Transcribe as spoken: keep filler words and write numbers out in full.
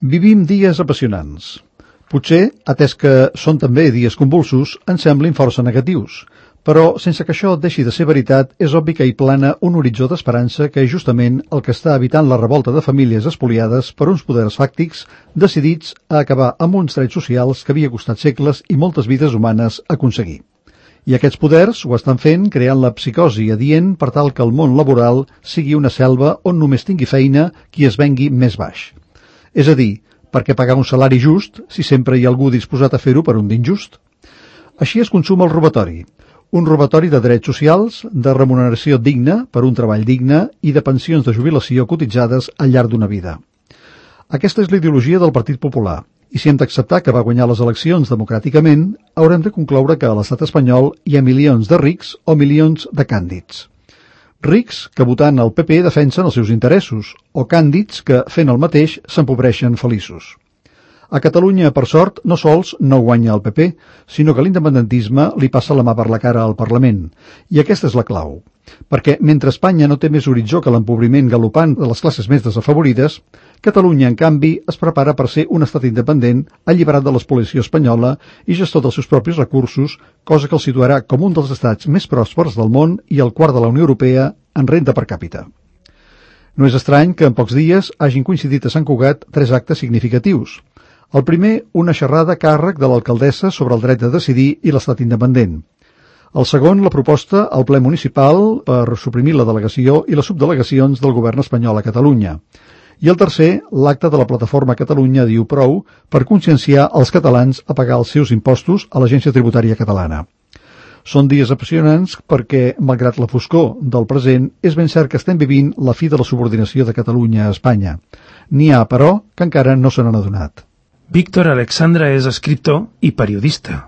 Vivim dies apassionants. Potser, atès que són també dies convulsos, ens semblin força negatius, però sense que això deixi de ser veritat, és obvi que hi plana un horitzó d'esperança que és justament el que està evitant la revolta de famílies espoliades per uns poders fàctics decidits a acabar amb uns drets socials que havia costat segles i moltes vides humanes aconseguir. I aquests poders ho estan fent creant la psicosi adient per tal que el món laboral sigui una selva on només tingui feina qui es vengui més baix. És a dir, per què pagar un salari just si sempre hi ha algú disposat a fer-ho per un d'injust? Així es consuma el robatori. Un robatori de drets socials, de remuneració digna per un treball digne i de pensions de jubilació cotitzades al llarg d'una vida. Aquesta és la ideologia del Partit Popular, i si hem d'acceptar que va guanyar les eleccions democràticament, haurem de concloure que a l'estat espanyol hi ha milions de rics o milions de càndids. Rics que votant el P P defensen els seus interessos, o càndids que, fent el mateix, s'empobreixen feliços. A Catalunya, per sort, no sols no guanya el P P, sinó que l'independentisme li passa la mà per la cara al Parlament. I aquesta és la clau. Perquè mentre Espanya no té més horitzó que l'empobriment galopant de les classes més desafavorides, Catalunya, en canvi, es prepara per ser un estat independent, alliberat de l'espoliació espanyola i gestor dels seus propis recursos, cosa que el situarà com un dels estats més pròspers del món i el quart de la Unió Europea en renda per càpita. No és estrany que en pocs dies hagin coincidit a Sant Cugat tres actes significatius. El primer, una xerrada a càrrec de l'alcaldessa sobre el dret de decidir i l'estat independent. El segon, la proposta al ple municipal per suprimir la delegació i les subdelegacions del govern espanyol a Catalunya. I el tercer, l'acte de la plataforma Catalunya diu prou per conscienciar els catalans a pagar els seus impostos a l'Agència Tributària Catalana. Són dies apassionants perquè, malgrat la foscor del present, és ben cert que estem vivint la fi de la subordinació de Catalunya a Espanya. N'hi ha, però, que encara no se n'han adonat. Víctor Alexandra és escriptor i periodista.